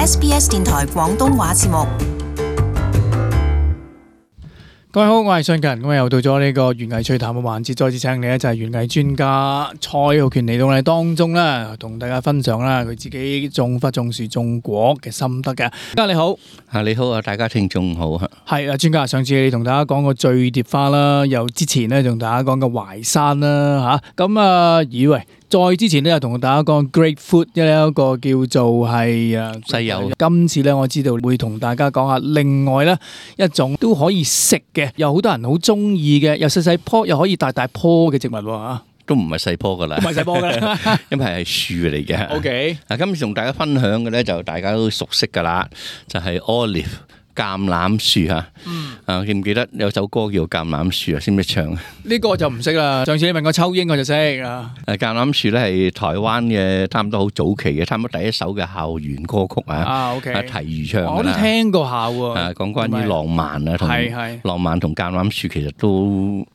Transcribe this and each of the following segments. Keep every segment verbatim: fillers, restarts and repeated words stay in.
S B S 電台廣東話節目。各位好，我係信勤，咁又到咗呢個園藝趣談嘅環節，再次請你咧就係園藝專家蔡浩權嚟到我哋當中啦，同大家分享啦佢自己種花、種樹、種果嘅心得嘅。專家你好，啊你好啊，大家聽眾好啊。係啊，專家上次你同大家講過醉蝶花啦，又之前咧同大家講過淮山啦，吓咁啊，以為。再之前咧，又同大家講 grapefruit 一個叫做係啊西柚。今次咧，我知道會同大家講下另外咧一種都可以食嘅，有好多人好中意嘅，又細細棵又可以大大棵嘅植物喎。都唔係細棵噶啦，唔係細棵噶啦，因為係樹嚟嘅。OK，嗱，今次同大家分享嘅咧就大家都熟悉噶啦，就係 olive。橄欖樹嚇，啊記唔記得有首歌叫橄欖樹啊？識唔識唱？呢個就唔識啦。上次你問過秋英，我就識啊。誒橄欖樹咧係台灣嘅，差唔多好早期嘅，差唔多第一首嘅校園歌曲啊。啊 OK，提如唱㗎啦。我都聽過下喎。啊，講關於浪漫啊，同浪漫同橄欖樹其實都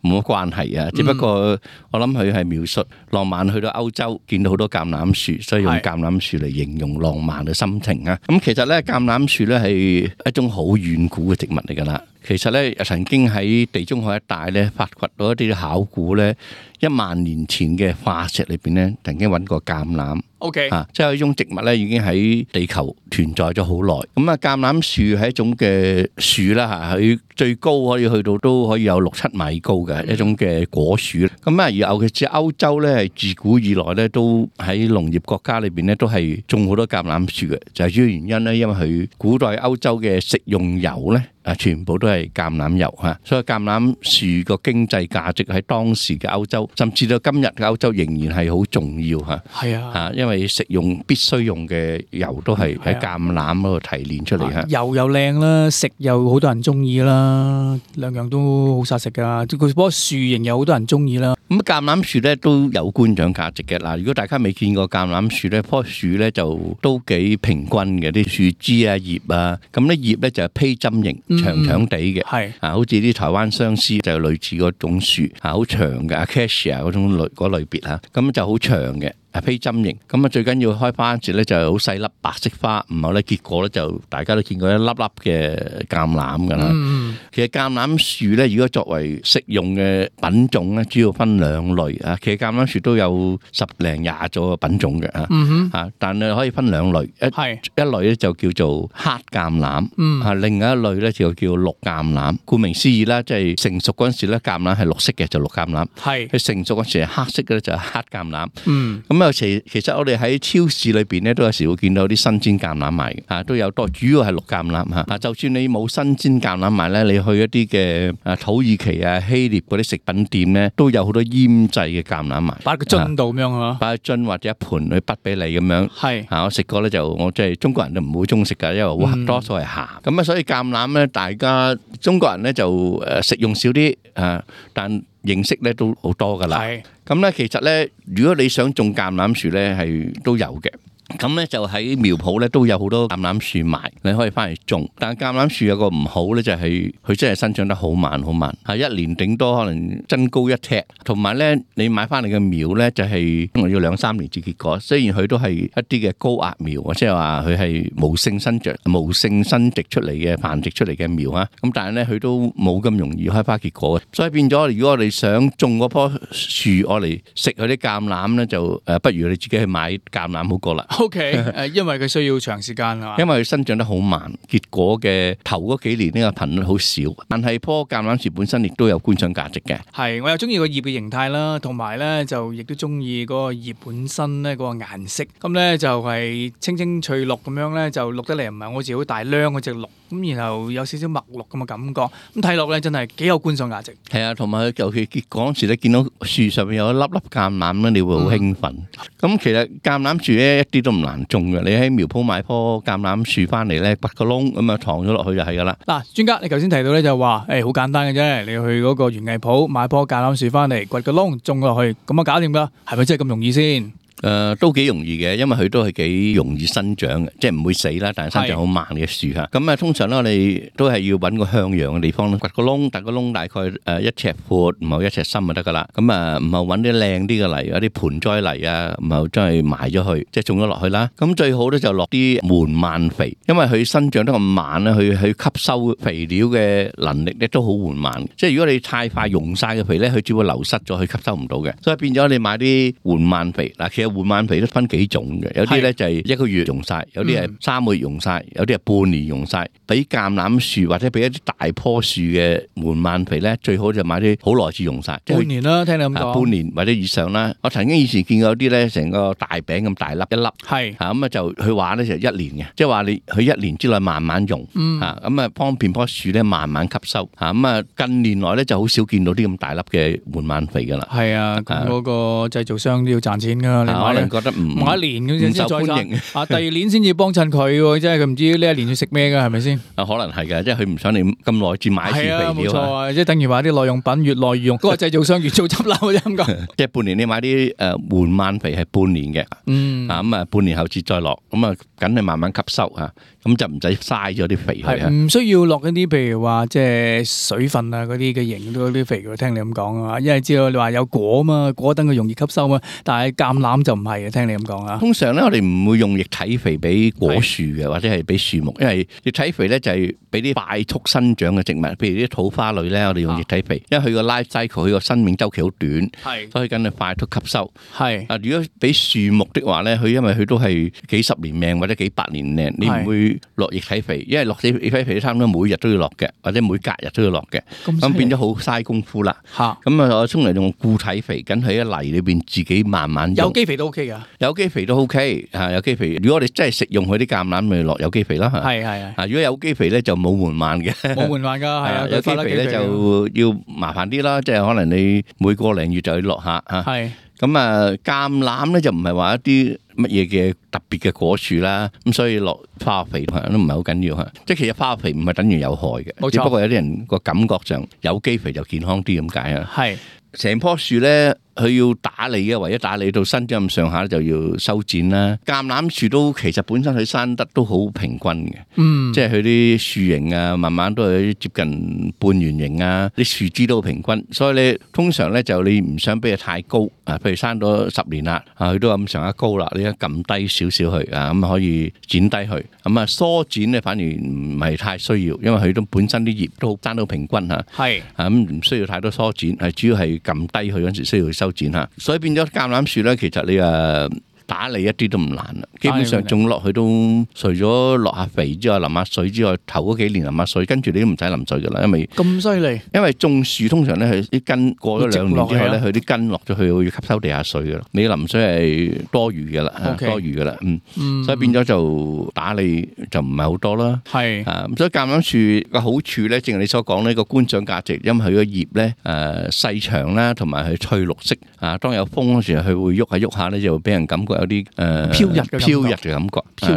冇乜關係啊。只不過我諗佢係描述浪漫去到歐洲見到好多橄欖樹，所以用橄欖樹嚟形容浪漫嘅心情啊。咁其實咧橄欖樹咧係一種好好遠古嘅植物嚟㗎啦，其實咧曾經喺地中海一帶咧發掘到一啲考古咧，一萬年前嘅化石裏邊咧，曾經揾過橄欖。O.K. 啊，即係呢種植物咧已經喺地球存在咗好耐。咁啊，橄欖樹係一種嘅樹啦嚇，佢最高可以去到都可以有六七米高嘅一種嘅果樹。咁啊，而尤其是歐洲咧，係自古以來咧都喺農業國家裏邊咧都係種好多橄欖樹嘅，就係主要原因咧，因為佢古代歐洲嘅食用油咧。啊！全部都係橄欖油嚇，所以橄欖樹個經濟價值喺當時嘅歐洲，甚至到今日嘅歐洲仍然係好重要嚇。係啊，嚇，因為食用必須用嘅油都係喺橄欖嗰度提煉出嚟嚇。油又靚啦，食又好多人中意啦，兩樣都好殺食噶。佢棵樹形又好多人中意啦。咁橄欖樹咧都有觀賞價值嘅。嗱，如果大家未見過橄欖樹咧，棵樹咧就都幾平均嘅，啲樹枝啊、葉啊，咁咧葉咧就係披針形。長長地嘅，係啊，好似啲台灣相思就類似嗰種樹啊，好長嘅 Acacia 嗰種類嗰類別嚇，咁就好長嘅。係披針形，咁啊最緊要開花嗰時咧就係好細粒白色花，唔係咧結果咧就大家都見過一粒粒嘅橄欖㗎啦。嗯、其實橄欖樹咧，如果作為食用嘅品種咧，主要分兩類啊。其實橄欖樹都有十零廿種嘅品種嘅啊。嗯、啊，但係可以分兩類，一是一類咧就叫做黑橄欖，嗯、啊，另外一類咧就叫綠橄欖。顧名思義啦，即係成熟嗰陣時咧，橄欖係綠色嘅就綠橄欖，係佢是成熟嗰陣時係黑色嘅咧就係黑橄欖。嗯，咁其其實我哋喺超市裏邊咧，都有時會見到啲新鮮橄欖賣嘅，啊都有多，主要係綠橄欖嚇。啊，就算你冇新鮮橄欖賣咧，你去一啲嘅啊土耳其啊希臘嗰啲食品店咧，都有好多醃製嘅橄欖賣，擺個樽度咁樣嚇，擺個樽或者一盤去滗俾你咁樣。係啊，我食過咧就我即係中國人都唔會中意食㗎，因為好多數係鹹。咁啊，所以橄欖咧，大家中國人咧就誒食用少啲啊，但認識咧都好多噶啦，咁咧其實咧，如果你想種橄欖樹咧，係都有嘅。咁咧就喺苗圃咧都有好多橄欖樹賣，你可以翻嚟種。但係橄欖樹有個唔好咧，就係佢真係生長得好慢好慢，係一年頂多可能增高一尺。同埋咧，你買翻嚟嘅苗咧就係要兩三年至結果。雖然佢都係一啲嘅高壓苗，即係話佢係無性生長、無性生殖出嚟嘅繁殖出嚟嘅苗啊。咁但係咧佢都冇咁容易開花結果嘅。所以變咗，如果我哋想種嗰棵樹，我嚟食佢啲橄欖咧，就誒不如你自己去買橄欖好過啦。O.K. 誒，因為佢需要長時間啊嘛，因為佢生長得好慢，結果嘅頭嗰幾年呢個頻率好少，但係棵橄欖樹本身亦都有觀賞價值嘅。係，我又中意個葉嘅形態啦，同埋咧就亦都中意嗰個葉本身咧嗰個顏色，咁咧就係青青翠綠咁樣咧，就綠得嚟唔係好似好大孏嗰隻綠，咁然後有少少墨綠咁嘅感覺，咁睇落咧真係幾有觀賞價值。係啊，同埋佢尤其結果嗰時咧，見到樹上面有一粒粒橄欖咧，你會好興奮。咁、嗯、其實橄欖樹咧一啲都唔難種嘅，你喺苗圃買棵橄欖樹翻嚟咧，掘個窿咁啊，藏咗落去就係噶啦。嗱，專家你頭先提到咧就話，誒好簡單嘅啫，你去嗰個園藝鋪買棵橄欖樹翻嚟，掘個窿種落去，咁啊搞掂噶，係咪真係咁容易先？誒、呃、都幾容易嘅，因為佢都係幾容易生長嘅，即係唔會死啦，但係生長好慢嘅樹嚇。咁啊，通常咧我哋都係要揾個向陽嘅地方，掘個窿，掘個窿大概誒一尺闊，唔係一尺深就得噶啦。咁啊，唔係揾啲靚啲嘅泥，有啲盆栽泥啊，唔係真係埋咗去，即係種咗落去啦。咁最好咧就落啲緩慢肥，因為佢生長得咁慢咧，佢去吸收肥料嘅能力咧都好緩慢。即係如果你太快用晒嘅肥咧，佢只會流失咗，佢吸收唔到嘅。所以變咗你買啲緩慢肥嗱，其實緩慢肥都分幾種嘅，有啲咧就係一個月用晒，有啲係三個月用晒，有啲係半年用晒。俾橄欖樹或者俾一啲大棵樹嘅緩慢肥咧，最好就買啲好耐至用晒，半年啦，聽你咁講，半年或者以上啦。我曾經以前見過有啲咧，成個大餅咁大粒一粒，係嚇咁啊，就佢話咧就一年嘅，即係話你佢一年之內慢慢用嚇，咁啊方便棵樹咧慢慢吸收嚇。咁啊近年來咧就好少見到啲咁大粒嘅緩慢肥噶啦。係啊，咁嗰個製造商都要賺錢噶，你可能覺得唔買一年咁先再歡迎啊，第二年先至幫襯佢喎，即係佢唔知呢一年要食咩噶，係咪先？啊，可能係嘅，即係佢唔想你咁耐至買一次肥料啊。冇錯啊，即係等於話啲耐用品越耐越用，嗰個製造商越做執笠啫咁講。即係半年你買啲誒緩慢肥係半年嘅，嗯啊咁啊半年後至再落，咁啊梗係慢慢吸收嚇。咁就唔使嘥咗啲肥去啊！唔需要落一啲譬如話即係水分啊嗰啲嘅型嗰啲肥，聽你咁講啊，因為知道你話有果嘛，果等佢容易吸收嘛，但係橄欖就唔係嘅，聽你咁講啊。通常咧，我哋唔會用液體肥俾果樹嘅，或者係俾樹木，因為液體肥咧就係俾啲快速生長嘅植物，譬如啲土花類咧，我哋用液體肥，啊、因為佢個 life cycle 佢個生命週期好短，所以梗係快速吸收。係啊，如果俾樹木的話咧，佢因為佢都係幾十年命或者幾百年命，你唔會落液體肥，因為落液體肥差唔多每日都要落嘅，或者每隔日都要落嘅，咁變咗好嘥功夫啦。嚇，咁啊，我通常用固體肥，緊喺啲泥裏邊自己慢慢用。有機肥都 OK 噶，有機肥都 OK 嚇，有機肥。如果我哋真係食用佢啲橄欖，咪落有機肥啦。係係係。如果有機肥咧就冇緩慢嘅，冇緩慢㗎，係啊。有機肥咧就要麻煩啲啦，即係可能你每個零月就要落下嚇。係。咁啊，橄欖咧就唔係話一啲乜嘢嘅特別嘅果樹啦，咁所以落化學肥都唔係好緊要嚇。即係其實化學肥唔係等於有害嘅，冇錯，只不過有啲人個感覺上有機肥就健康啲咁解啊。係，成棵樹咧。佢要打理嘅，唯一打理到伸咗咁上下就要修剪啦。橄欖樹都其實本身佢生得都好平均嘅，嗯，即係佢啲樹形啊，慢慢都係接近半圓形啊，啲樹枝都好平均。所以你通常咧就你唔想俾佢太高啊，譬如生咗十年啦，啊佢都咁上下高啦，你一撳低少少佢啊，咁可以剪低佢。咁啊疏剪咧反而唔係太需要，因為佢都本身啲葉都生到平均嚇，係啊咁唔需要太多疏剪，係主要係撳低佢嗰陣時需要修剪吓，所以變咗橄欖樹咧，其實你誒打理一啲都唔難啦。基本上種落去都除咗落下肥之外，淋下水之外，頭嗰幾年淋下水，跟住你都唔使淋水噶啦，因為咁犀利。因為種樹通常咧，佢啲根過咗兩年之後咧，佢啲根落咗去會吸收地下水噶啦。你淋水係多餘噶啦，多餘噶啦，嗯，所以變咗就打理就唔係好多啦。係啊，所以橄欖樹嘅好處咧，正如你所講呢個觀賞價值，因為佢個葉咧誒細長啦，同埋佢翠綠色啊。當有風嗰時，佢會喐下喐下咧，就會俾人感覺有啲誒飄逸嘅飄逸嘅感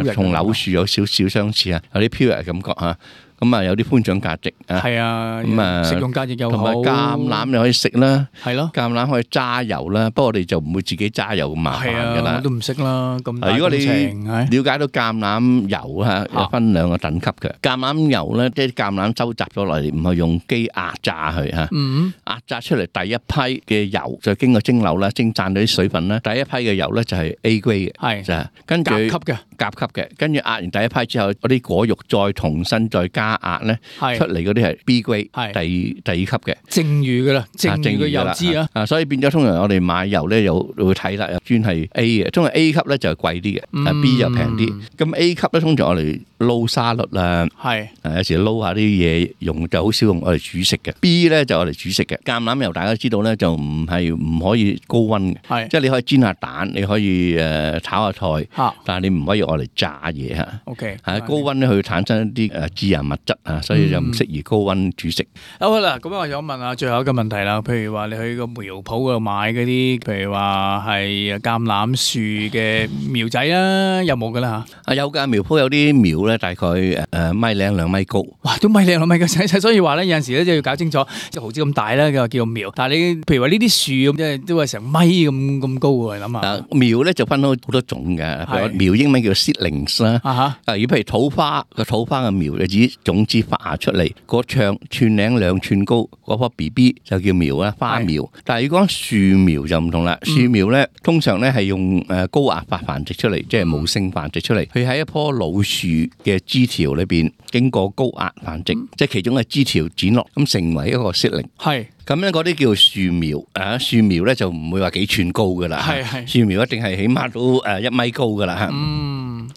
覺，同柳樹有少少相似啊，有啲飄逸嘅感覺嚇。咁啊有啲觀賞價值啊，係啊，咁啊食用價值又好，同埋橄欖你可以食啦，係咯，橄欖可以揸油啦，不過我哋就唔會自己揸油咁麻煩㗎啦，我都唔識啦，咁大工程。如果你了解到橄欖油嚇，有分兩個等級嘅，橄欖油咧，即係橄欖收集咗落嚟，唔係用機壓榨佢嚇，壓榨出嚟第一批嘅油就經過蒸餾啦，蒸散咗啲水分啦，第一批嘅油咧就係 A grade 嘅，係就係跟住甲級嘅，甲級嘅，跟住壓完第一批之後，嗰啲果肉再重新再加壓咧，出嚟嗰啲係 B grade，係第第二級嘅，剩餘噶啦，剩餘嘅油脂啊，啊，所以變咗通常我哋買油咧，又會睇啦，專係 A 嘅，通常 A 級咧就係貴啲嘅，B 就平啲。咁 A 級咧通常我哋撈沙律啦，係，有時撈下啲嘢用，就好少用我哋煮食嘅。B 咧就我哋煮食嘅。橄欖油大家知道咧，就唔係唔可以高溫嘅，係，即係你可以煎下蛋，你可以誒炒下菜，但係你唔可以我嚟炸嘢嚇。OK，係高溫咧，佢會產生一啲誒致癌物質啊，所以就唔適宜高溫煮食。好啦，咁我想問下最後一個問題啦。譬如話你去個苗圃嗰度買嗰啲，譬如話係橄欖樹嘅苗仔啊，有冇噶啦嚇？啊有㗎，苗圃有啲苗咧，大概誒米零兩米高。哇，都米零兩米嘅細細，所以話咧有陣時咧就要搞清楚，即係毫子咁大咧，叫叫苗。但係你譬如話呢啲樹咁，即係都係成米咁咁高喎，諗下。啊，苗咧就分好好多種嘅，譬如苗英文叫 seedlings 啦。啊哈。啊，如果譬如土花個土花嘅苗，就指種子發芽出嚟，個長寸零兩寸高，嗰棵 B B 就叫苗啦，花苗。但係如果講樹苗就唔同啦，樹苗咧通常咧係用誒高壓法繁殖出嚟，即係無性繁殖出嚟。佢喺一棵老樹嘅枝條裏邊經過高壓繁殖，即係其中嘅枝條剪落，咁成為一個 seedling。係。咁咧嗰啲叫樹苗，啊樹苗咧就唔會話幾寸高噶啦，係係樹苗一定係起碼都誒一米高噶啦嚇。嗯，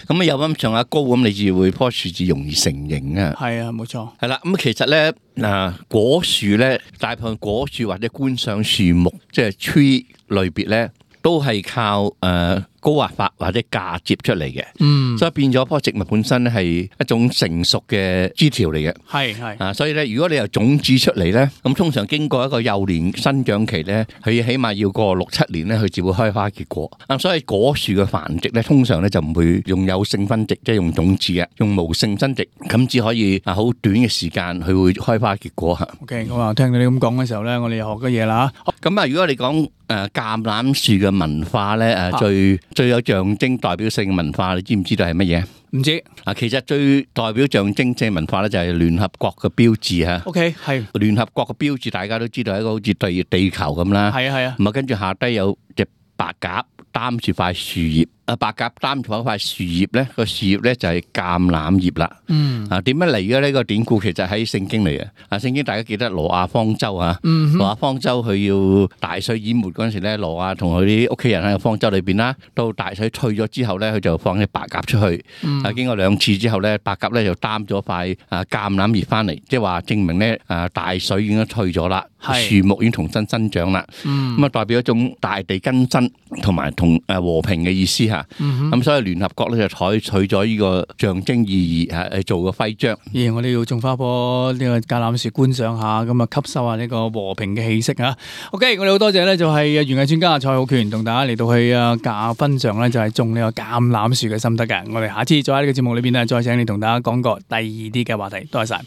咁啊有咁上下高，咁你至會棵樹至容易成形啊。係啊，冇錯。係啦，咁其實咧嗱果樹咧，大部分果樹或者觀賞樹木，即係 tree 類別咧，都係靠誒。呃高壓法或者嫁接出嚟嘅，嗯，所以變咗棵植物本身咧係一種成熟嘅枝條嚟嘅，係係啊，所以咧如果你由種子出嚟咧，咁通常經過一個幼年生長期咧，佢起碼要過六七年咧，佢至會開花結果。啊，所以果樹嘅繁殖咧，通常咧就唔會用有性分殖，即係用種子嘅，用無性生殖，咁只可以啊好短嘅時間佢會開花結果嚇。OK，我話聽到你咁講嘅時候咧，我哋又學咗嘢啦嚇。咁啊，如果你講誒橄欖樹嘅文化咧，誒最最有象徵代表性嘅文化，你知唔知道係乜嘢？唔知啊，其實最代表象徵性文化咧就係聯合國嘅標誌嚇。OK，係聯合國嘅標誌，大家都知道係一個好似對地球咁啦。係啊係啊。咁啊，跟住下低有隻白鴿擔住塊樹葉。啊，白鴿擔住嗰塊樹葉咧，個樹葉咧就係橄欖葉啦。嗯。啊，點樣嚟嘅呢個典故？其實喺聖經嚟嘅。啊，聖經大家記得挪亞方舟啊。嗯。挪亞方舟佢要大水淹沒嗰陣時咧，挪亞同佢啲屋企人喺個方舟裏邊啦。到大水退咗之後咧，佢就放隻白鴿出去。嗯。啊，經過兩次之後咧，白鴿咧就擔咗塊啊橄欖葉翻嚟，即係話證明咧啊大水已經退咗啦，樹木已經重新生長啦。嗯。咁啊，代表一種大地更新同埋同誒和平嘅意思嚇。咁、嗯、所以聯合國咧就採取咗呢個象徵意義嚇，去做個徽章。咦，我哋要種花棵呢個橄欖樹觀賞下，咁啊吸收下呢個和平嘅氣息啊。OK，我哋好多謝咧，就係園藝專家蔡浩權同大家嚟到去啊教分享咧，就係種呢個橄欖樹嘅心得嘅。我哋下次再喺呢個節目裏邊咧，再請你同大家講個第二啲嘅話題。多謝晒。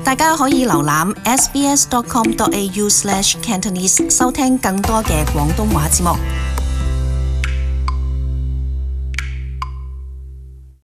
大家可以瀏覽 s b s dot com dot a u slash cantonese 收聽更多嘅廣東話節目。